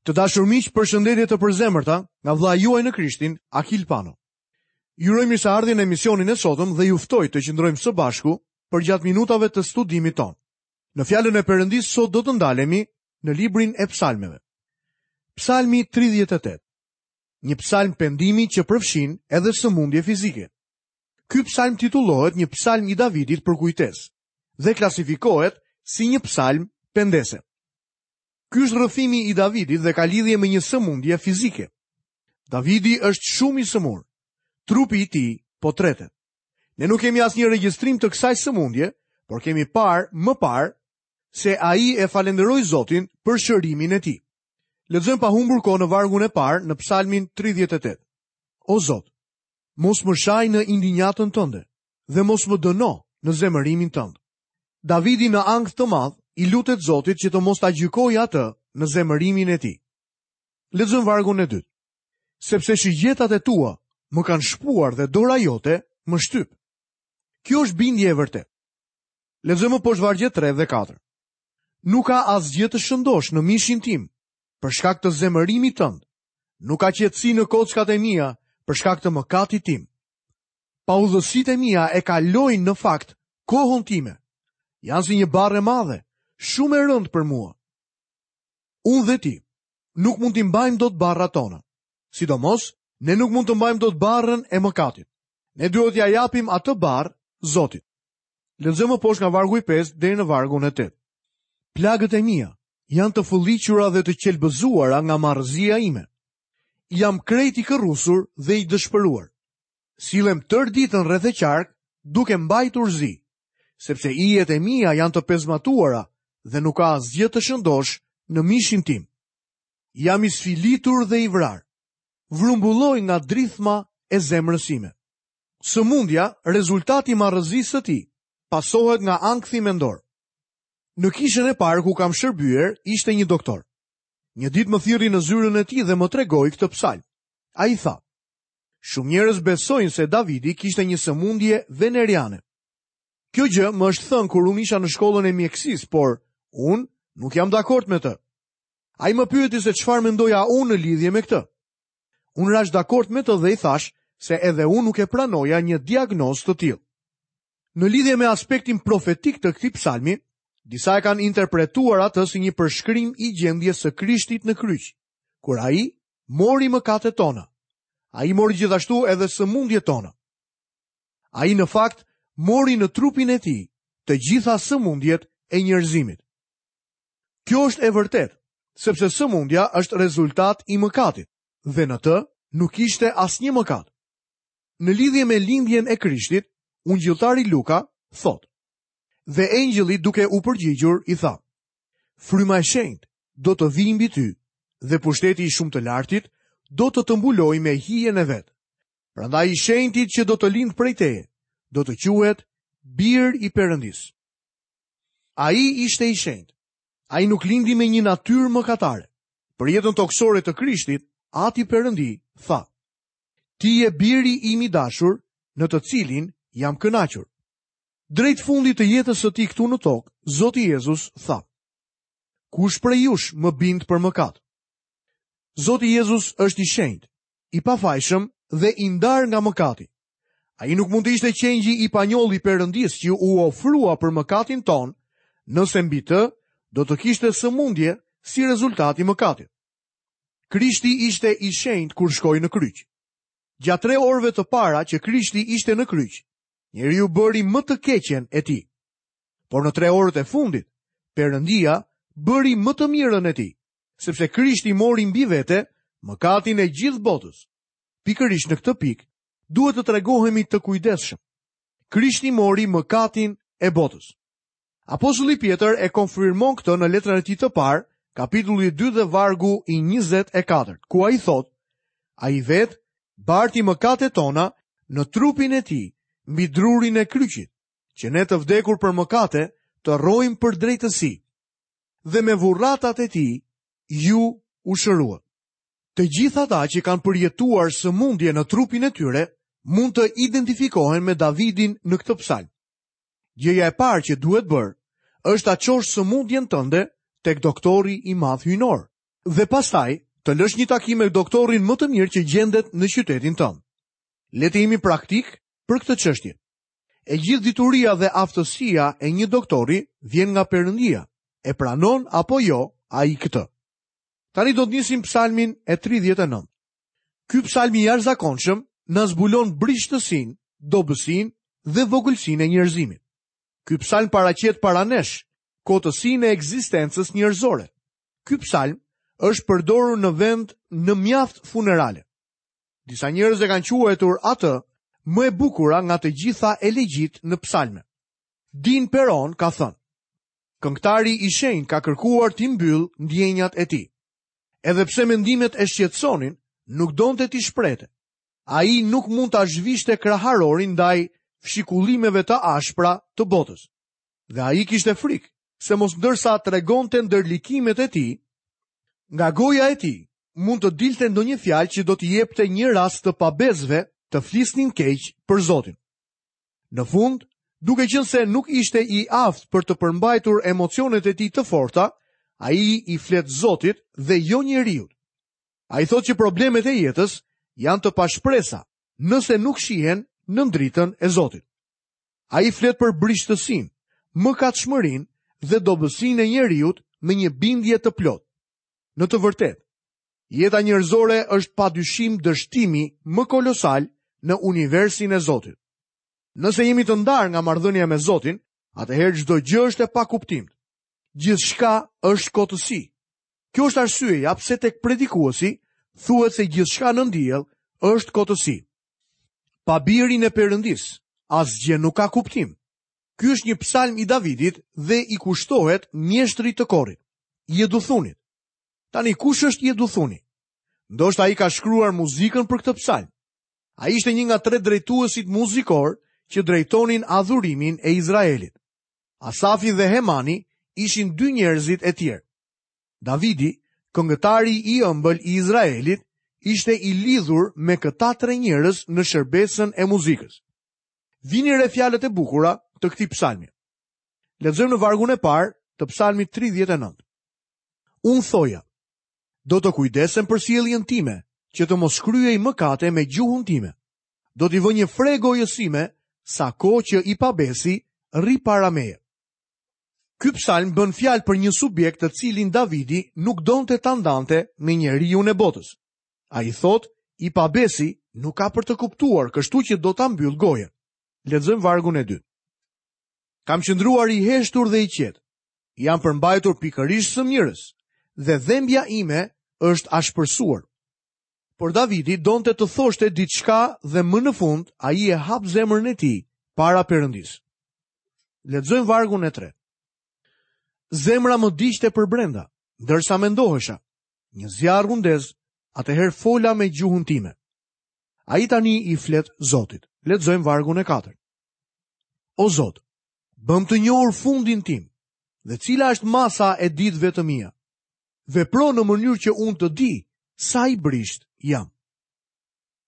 Të dashur miq, përshëndetje të përzemërta nga vëllai juaj në Krishtin, Akil Pano. Ju uroj mirëseardhjen në emisionin e sotëm dhe ju ftoj të qëndrojmë së bashku përgjatë minutave të studimit tonë. Në fjalën e Perëndisë sot do të ndalemi në librin e Psalmeve. Psalmi 38. Një psalm pendimi që përfshin edhe sëmundje fizike. Ky psalm titullohet një psalm i Davidit për kujtesë dhe klasifikohet si një psalm pendese. Ky është rrëfimi i Davidit dhe ka lidhje me një sëmundje fizike. Davidi është shumë i sëmurë. Trupi i tij po tretet. Ne nuk kemi asnjë regjistrim të kësaj sëmundje, por kemi parë më parë se ai e falënderoi Zotin për shërimin e tij. Lexojmë pa humbur kohë në vargun e parë në Psalmin 38. O Zot, mos më shaj në indinjatën tënde dhe mos më dëno në zemërimin tënd. Davidi në ankth të madh i lutet Zotit që të mos ta gjykojë atë në zemërimin e tij. Lexojmë vargun e dytë. Sepse shigjetat e tua më kanë shpuar dhe dora jote më shtyp. Kjo është bindje e vërtetë. Lexojmë më poshtë vargjet 3 dhe 4. Nuk ka asgjë të shëndoshë në mishin tim, për shkak të zemërimit tënd. Nuk ka qetësi në kockat e mia, për shkak të mëkatit tim. Paudhësitë e mia e kalojnë në fakt kohën time. Janë si një barrë e madhe, shumë e rëndë për mua. Unë dhe ti nuk mund t'i mbajmë dot barrat tona. Sidomos, ne nuk mund të mbajmë dot barrën e mëkatit. Ne duhet t'ia japim atë barrë Zotit. Lexojmë më poshtë nga vargu i 5 deri në vargun e 8. Plagët e mia janë të fëlliqura dhe të qelbëzuara nga marrëzia ime. Jam krejt i kërrusur dhe i dëshpëruar. Sillem tërë ditën rreth e qark duke mbajtur zi, sepse ijet e mia janë të pezmatuara dhe nuk ka asgjë të shëndoshë në mishin tim. Jam i sfilitur dhe i vrarë. Vrumbulloj nga drithma e zemrës sime. Sëmundja, rezultat i marrëzisë së tij, pasohet nga ankthi mendor. Në kishën e parë ku kam shërbyer ishte një doktor. Një ditë më thirri në zyrën e tij dhe më tregoi këtë psalm. Ai tha: Shumë njerëz besojnë se Davidi kishte një sëmundje veneriane. Kjo gjë më është thënë kur unë isha në shkollën e mjekësisë, por unë nuk jam dakord me të. Ai më pyeti se çfarë mendoja unë në lidhje me këtë. Unë rashë dakord me të dhe i thashë se edhe unë nuk e pranoja një diagnozë të tillë. Në lidhje me aspektin profetik të këtij psalmi, disa e kanë interpretuar atë si një përshkrim i gjendjes së Krishtit në kryq, kur ai mori mëkatet tona. Ai mori gjithashtu edhe sëmundjet tona. Ai në fakt mori në trupin e tij të gjitha sëmundjet e njerëzimit. Kjo është e vërtetë, sepse sëmundja është rezultat i mëkatit dhe në të nuk ishte asnjë mëkat. Në lidhje me lindjen e Krishtit, ungjilltari Luka thotë: Dhe engjëlli duke u përgjigjur i tha: Fryma e shenjtë do të vijë mbi ty dhe pushteti i shumë të lartit do të të mbulojë me hijen e vet. Prandaj i shenjti që do të lindë prej teje, do të quhet bir i Perëndisë. Ai ishte i shenjtë. Ai nuk lindi me një natyrë mëkatare. Për jetën tokësore të Krishtit, Ati Perëndi tha: Ti je biri im i dashur, në të cilin jam kënaqur. Drejt fundit të jetës së tij këtu në tokë, Zoti Jezus tha: Kush prej jush më bind për mëkat? Zoti Jezus është i shenjtë, i pafajshëm dhe i ndarë nga mëkati. Ai nuk mund të ishte qengji i panjollë i Perëndisë që u ofrua për mëkatin tonë, nëse mbi të do të kishte sëmundje si rezultat i mëkatit. Krishti ishte i shenjtë kur shkoi në kryq. Gjatë tre orëve të para që Krishti ishte në kryq, njeriu bëri më të keqen e tij. Por në tre orët e fundit, Perëndia bëri më të mirën e tij, sepse Krishti mori mbi vete mëkatin e gjithë botës. Pikërisht në këtë pikë, duhet të tregohemi të kujdesshëm. Krishti mori mëkatin e botës. Apostulli Pjetër e konfirmon këtë në letrën e tij të parë, kapitulli 2 dhe vargu i 24, ku ai thotë, ai vetë barti mëkatet tona në trupin e tij mbi drurin e kryqit, që ne të vdekur për mëkate të rrojmë për drejtësi. Dhe me vurratat e tij ju u shëruat. Të gjithë ata që kanë përjetuar sëmundje në trupin e tyre mund të identifikohen me Davidin në këtë psalm. Gjëja e parë që duhet bërë është ta çosh sëmundjen tënde tek doktori i madh hyjnor. Dhe pastaj të lësh një takim me doktorin më të mirë që gjendet në qytetin tënd. Le të jemi praktikë për këtë çështje. E gjithë dituria dhe aftësia e një doktori vjen nga Perëndia. E pranon apo jo ai këtë? Tani do të nisim psalmin e 39. Ky psalm i jashtëzakonshëm na zbulon brishtësinë, dobësinë dhe vogëlsinë e njerëzimit. Ky psalm paraqet para nesh kotësinë e ekzistencës njerëzore. Ky psalm është përdorur në vend në mjaft funerale. Disa njerëz e kanë quajtur atë më e bukura nga të gjitha elegjitë në psalme. Dean Peron ka thënë: Këngëtari i shenjtë ka kërkuar t'i mbyllë ndjenjat e tij. Edhe pse mendimet e shqetësonin, nuk donte t'i shprehte. Ai nuk mund ta zhvishte kraharorin ndaj fshikullimeve të ashpra të botës. Dhe ai kishte frikë se mos ndërsa tregonte ndërlikimet e tij, nga goja e tij mund të dilte ndonjë fjalë që do t'i jepte një rast të pabesëve të flisnin keq për Zotin. Në fund, duke qenë se nuk ishte i aftë për të përmbajtur emocionet e tij të forta, ai i flet Zotit dhe jo njeriut. Ai thotë që problemet e jetës janë të pashpresa, nëse nuk shihen nën dritën e Zotit. Ai flet për brishtësinë, mëkatshmërinë dhe dobësinë e njeriut me një bindje të plotë. Në të vërtetë, jeta njerëzore është pa dyshim dështimi më kolosal në universin e Zotit. Nëse jemi të ndarë nga marrëdhënia me Zotin, atëherë çdo gjë është e pakuptimtë. Gjithçka është kotësi. Kjo është arsyeja pse tek predikuesi thuhet se gjithçka nën diell është kotësi. Pa birin e Perëndisë, asgjë nuk ka kuptim. Ky është një psalm i Davidit dhe i kushtohet mjeshtrit të korit, Jeduthunit. Tani kush është Jeduthuni? Ndoshta ai ka shkruar muzikën për këtë psalm. Ai ishte një nga tre drejtuesit muzikorë që drejtonin adhurimin e Izraelit. Asafi dhe Hemani ishin dy njerëzit e tjerë. Davidi, këngëtari i ëmbël i Izraelit, ishte i lidhur me këta tre njerëz në shërbesën e muzikës. Vini re fjalët e bukura të këtij psalmi. Lexojmë në vargun e parë të psalmit 39. Unë thoja, do të kujdesem për sjelljen time, që të mos kryej mëkate me gjuhën time. Do t'i vë një fre gojës sime, sa kohë që i pabesi rri para meje. Ky psalm bën fjalë për një subjekt të cilin Davidi nuk donte ta ndante me njeriun e botës. Ai thotë, i pabesi nuk ka për të kuptuar, kështu që do ta mbyll gojën. Lexojmë vargun e dytë. Kam qëndruar i heshtur dhe i qetë. Jam përmbajtur pikërisht së mirës dhe dhembja ime është ashpërsuar. Por Davidi donte të thoshte diçka dhe më në fund ai e hap zemrën e tij para Perëndisë. Lexojmë vargun e tretë. Zemra më digjte përbrenda, ndërsa mendohesha. Një zjarr u ndez, atëherë fola me gjuhën time. Ai tani i flet Zotit. Lexojmë vargun e katërt. O Zot, bëmë të njohur fundin tim dhe cila është masa e ditëve të mia. Vepro në mënyrë që unë të di sa i brishtë jam.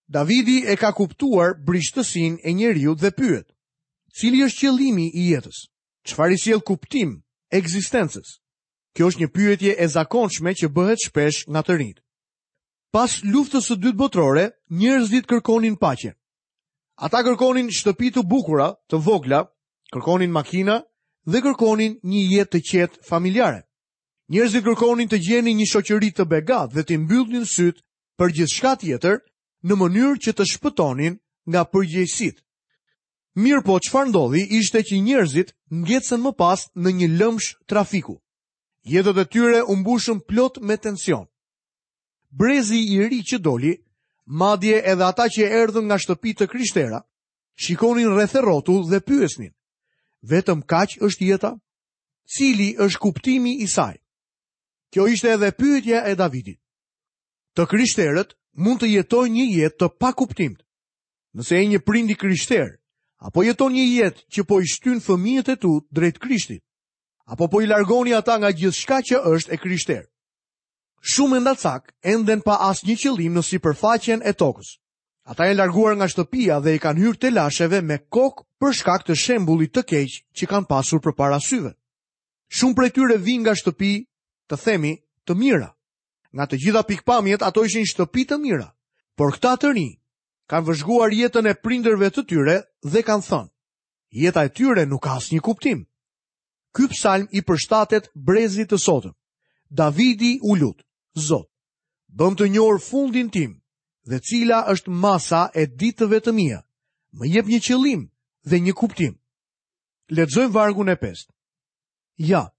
Davidi e ka kuptuar brishtësinë e njeriut dhe pyet, cili është qëllimi i jetës? Çfarë i sjell kuptim ekzistencës? Kjo është një pyetje e zakonshme që bëhet shpesh nga të rinjtë. Pas luftës së dytë botërore, njerëzit kërkonin paqe. Ata kërkonin shtëpi të bukura, të vogla, kërkonin makina dhe kërkonin një jetë të qetë familjare. Njerëzit kërkonin të gjenin një shoqëri të begatë dhe t'i mbyllnin sytë për gjithçka tjetër në mënyrë që të shpëtonin nga përgjegjësitë. Mirëpo, çfarë ndodhi ishte që njerëzit ngecën më pas në një lëmsh trafiku. Jetët e tyre u mbushën plot me tension. Brezi i ri që doli, madje edhe ata që erdhën nga shtëpi të krishtera, shikonin rreth e rrotull dhe pyesnin: Vetëm kaq është jeta? Cili është kuptimi i saj? Kjo ishte edhe pyetja e Davidit. Të krishterët mund të jetojnë një jetë të pakuptimtë. Nëse je një prind i krishterë, apo jeton një jetë që po i shtyn fëmijët e tu drejt Krishtit, apo po i largoni ata nga gjithçka që është e krishterë. Shumë endacakë enden pa asnjë qëllim në sipërfaqen e tokës. Ata janë larguar nga shtëpia dhe i kanë hyrë telasheve me kokë për shkak të shembullit të keq që kanë pasur përpara syve. Shumë prej tyre vijnë nga shtëpi, të themi, të mira. Nga të gjitha pikëpamjet ato ishin shtëpi të mira, por këta të rinj kanë vëzhguar jetën e prindërve të tyre dhe kanë thënë, jeta e tyre nuk ka asnjë kuptim. Ky psalm i përshtatet brezit të sotëm. Davidi u lut, Zot, bëmë të njohur fundin tim dhe cila është masa e ditëve të mia. Më jep një qëllim dhe një kuptim. Lexojmë vargun e pestë. Ja,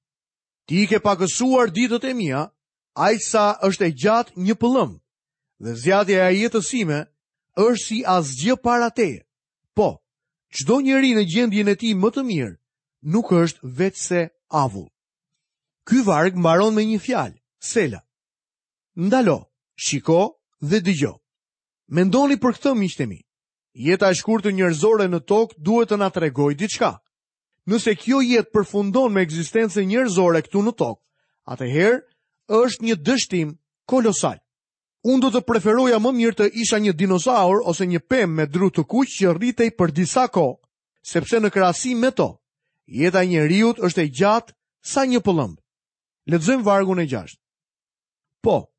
ti i ke pakësuar ditët e mia, aq sa është e gjatë një pëllëmbë, dhe zgjatja e jetës sime është si asgjë para teje. Po, çdo njeri në gjendjen e tij më të mirë nuk është veçse avull. Ky varg mbaron me një fjalë, sela. Ndalo, shiko dhe dëgjo. Mendoni për këtë miqtë e mi. Jeta e shkurtër njerëzore në tokë duhet të na tregojë diçka. Nëse kjo jetë përfundon me ekzistencën njerëzore këtu në tokë, atëherë është një dështim kolosal. Unë do të preferoja më mirë të isha një dinozaur ose një pemë me dru të kuq që rritej për disa kohë, sepse në krahasim me to, jeta e njeriut është e gjatë sa një pëllëmbë. Lexojmë vargun e gjashtë. Po,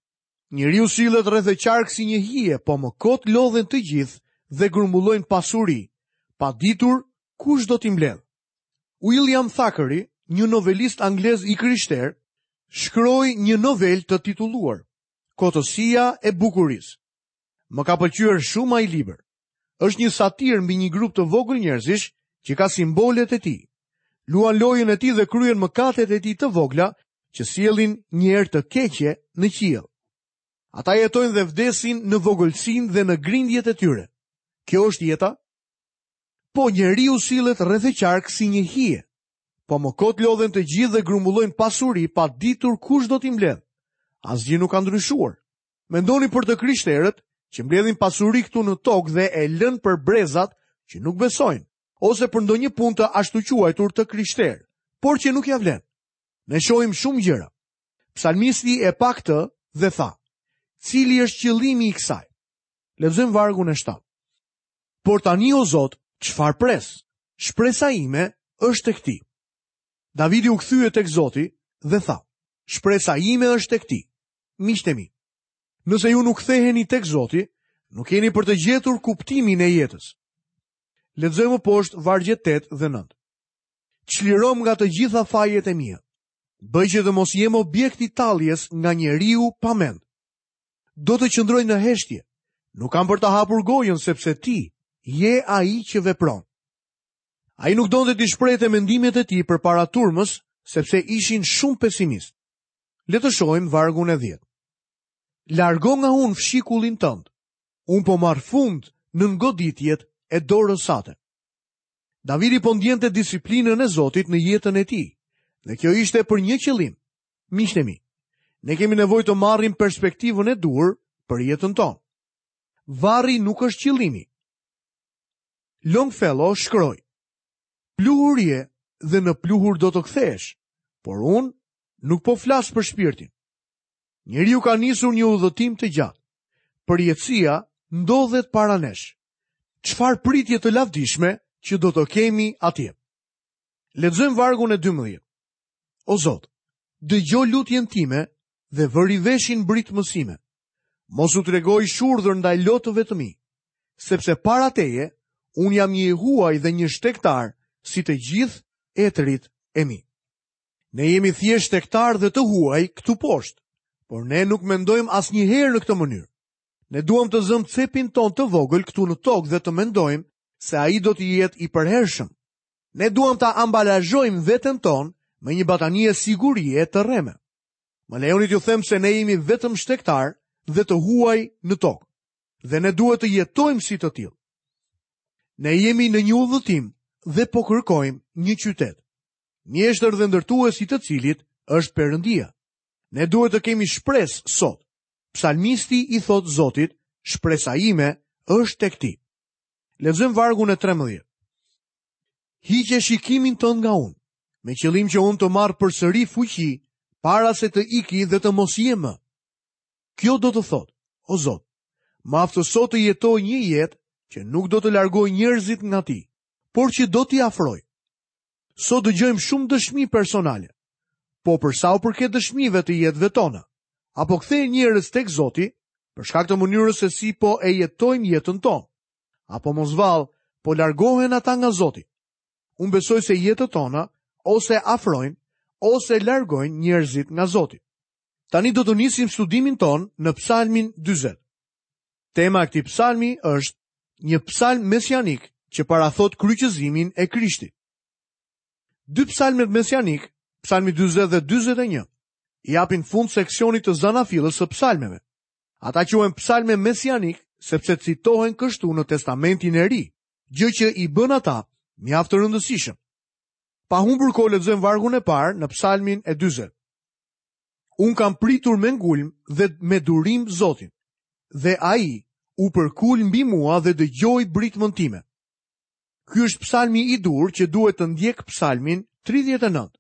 njeriu sillet rreth e qark si një hije, po më kot lodhen të gjithë dhe grumbullojnë pasuri, pa ditur kush do t'i mbledhë. William Thackeray, një novelist anglez i krishterë, shkroi një novelë të titulluar Kotësia e bukurisë. Më ka pëlqyer shumë ai libër. Është një satirë mbi një grup të vogël njerëzish që ka simbolet e tij. Luan lojën e tij dhe kryen mëkatet e tij të vogla që sjellin një erë të keqe në qiell. Ata jetojnë dhe vdesin në vogëlsinë dhe në grindjet e tyre. Kjo është jeta? Po njeriu sillet rreth e qark si një hije. Po më kot lodhen të gjithë dhe grumbullojnë pasuri pa ditur kush do t'i mbledhë. Asgjë nuk ka ndryshuar. Mendoni për të krishterët që mbledhin pasuri këtu në tokë dhe e lënë për brezat që nuk besojnë, ose për ndonjë punë të ashtuquajtur të krishterë, por që nuk ia vlen. Ne shohim shumë gjëra. Psalmisti e pa këtë dhe tha, cili është qëllimi i kësaj? Lexojmë vargun e 7. Por tani o Zot, çfarë pres? Shpresa ime është tek ti. Davidi u kthye tek Zoti dhe tha, shpresa ime është tek ti. Miqtë e mi, nëse ju nuk ktheheni tek Zoti, nuk keni për të gjetur kuptimin e jetës. Lexojmë më poshtë vargjet 8 dhe 9. Çliromë nga të gjitha fajet e mia. Bëj që të mos jem objekt i talljes nga njeriu pa mend. Do të qëndroj në heshtje. Nuk kam për ta hapur gojën sepse ti je ai që vepron. Ai nuk donte t'i shprehte mendimet e tij përpara turmës, sepse ishin shumë pesimistë. Le të shohim vargun e 10. Largo nga unë fshikullin tënd. Unë po marr fund nën goditjet e dorës sate. Davidi po ndjente disiplinën e Zotit në jetën e tij, dhe kjo ishte për një qëllim. Miqtë e mi, ne kemi nevojë të marrim perspektivën e duhur për jetën tonë. Varri nuk është qëllimi. Longfellow shkroi: Pluhur je dhe në pluhur do të kthehesh, por unë nuk po flas për shpirtin. Njeriu ka nisur një udhëtim të gjatë. Përjetësia ndodhet para nesh. Çfarë pritje të lavdishme që do të kemi atje. Lexojmë vargun e 12. O Zot, dëgjo lutjen time dhe vëri veshin britmës sime. Mos u trego i shurdhër ndaj lotëve të mi, sepse para teje unë jam një i huaj dhe një shtegtar si të gjithë etërit e mi. Ne jemi thjesht shtegtarë dhe të huaj këtu poshtë, por ne nuk mendojmë asnjëherë në këtë mënyrë. Ne duam të zëmë cepin tonë të vogël këtu në tokë dhe të mendojmë se ai do të jetë i përhershëm. Ne duam ta ambalazhojmë veten tonë me një batanije sigurie të rreme. Më lejoni t'ju them se ne jemi vetëm shtegtarë dhe të huaj në tokë dhe ne duhet të jetojmë si të tillë. Ne jemi në një udhëtim dhe po kërkojmë një qytet. Mjeshtër dhe ndërtues i të cilit është Perëndia. Ne duhet të kemi shpresë sot. Psalmisti i thotë Zotit, shpresa ime është tek ti. Lexojmë vargun e 13. Hiqe shikimin tënd nga unë, me qëllim që unë të marr përsëri fuqi para se të iki dhe të mos jem më. Kjo do të thotë, o Zot, më aftëso të jetoj një jetë që nuk do të largojë njerëzit nga ti, por që do t'i afrojë. Sot dëgjojmë shumë dëshmi personale. Po për sa u përket dëshmive të jetëve tona, A po kthehen njerëz tek Zoti për shkak të mënyrës se si po e jetojmë jetën tonë? Apo mos vallë, po largohen ata nga Zoti? Unë besoj se jetët tona ose afrojnë ose largojnë njerëzit nga Zoti. Tani do të nisim studimin tonë në Psalmin 40. Tema e këtij psalmi është një psalm mesianik që parathotë kryqëzimin e Krishtit. Dy psalmet mesianikë, psalmi 40 dhe 41, i japin fund seksionit të zanafillës së psalmeve. Ata quhen psalme mesianikë sepse citohen kështu në Testamentin e Ri, gjë që i bën ata mjaft të rëndësishëm. Pa humbur kohë lexojmë vargun e parë në psalmin e 40. Unë kam pritur me ngulm dhe me durim Zotin, dhe ai u përkul mbi mua dhe dëgjoi britmën time. Ky është psalmi i duhur që duhet të ndjekë psalmin 39.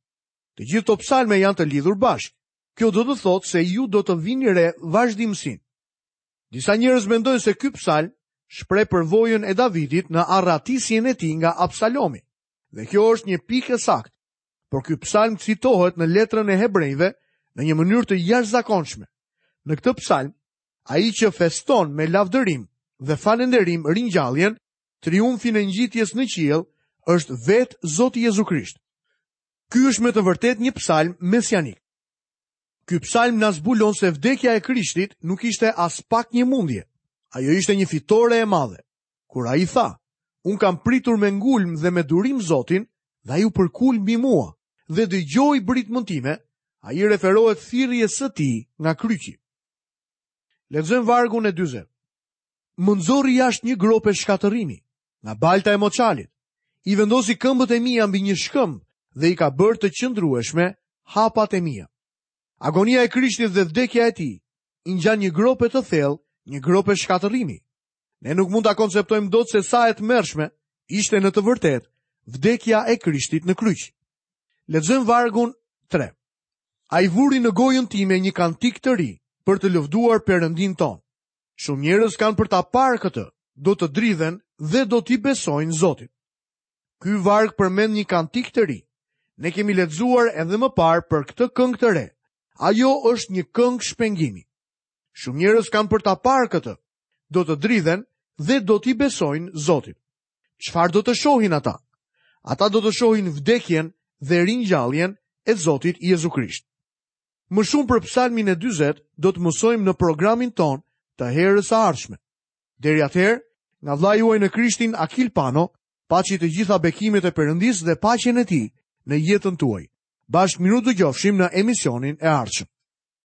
Të gjithë këto psalme janë të lidhur bashkë. Kjo do të thotë se ju do të vini re vazhdimësinë. Disa njerëz mendojnë se ky psalm shpreh përvojën e Davidit në arratisjen e tij nga Absalomi. Dhe kjo është një pikë e saktë. Por ky psalm citohet në letrën e Hebrenjve në një mënyrë të jashtëzakonshme. Në këtë psalm, ai që feston me lavdërim dhe falënderim ringjalljen, triumfin e ngjitjes në qiell, është vetë Zoti Jezu Krisht. Ky është me të vërtetë një psalm mesianik. Ky psalm na zbulon se vdekja e Krishtit nuk ishte aspak një mundje. Ajo ishte një fitore e madhe. Kur ai tha, unë kam pritur me ngulm dhe me durim Zotin, dhe ai u përkul mbi mua dhe dëgjoi britmën time, ai i referohet thirrjes së tij nga kryqi. Lexojmë vargun e 40. Më nxori jashtë një grope shkatërrimi, nga balta e moçalit. I vendosi këmbët e mia mbi një shkëmb dhe i ka bërë të qëndrueshme hapat e mia. Agonia e Krishtit dhe vdekja e tij i ngjan një grope të thellë, një grope shkatërrimi. Ne nuk mund ta konceptojmë dot se sa e tmerrshme ishte në të vërtetë vdekja e Krishtit në kryq. Lexojmë vargun 3. Ai vuri në gojën time një kantik të ri për të lëvduar Perëndinë tonë. Shumë njerëz kanë për ta parë këtë, do të dridhen dhe do t'i besojnë Zotit. Ky varg përmend një kantik të ri. Ne kemi lexuar edhe më parë për këtë këngë të re. Ajo është një këngë shpengimi. Shumë njerëz kanë për ta parë këtë, do të dridhen dhe do t'i besojnë Zotit. Çfarë do të shohin ata? Ata do të shohin vdekjen dhe ringjalljen e Zotit Jezu Krisht. Më shumë për psalmin e 40 do të mësojmë në programin tonë të herës së ardhshme. Deri atëherë, nga vëllai juaj në Krishtin Akil Pano, paçi të gjitha bekimet e Perëndisë dhe paqen e tij në jetën tuaj. Bashkë mirudëgjofshim në emisionin e ardhshëm.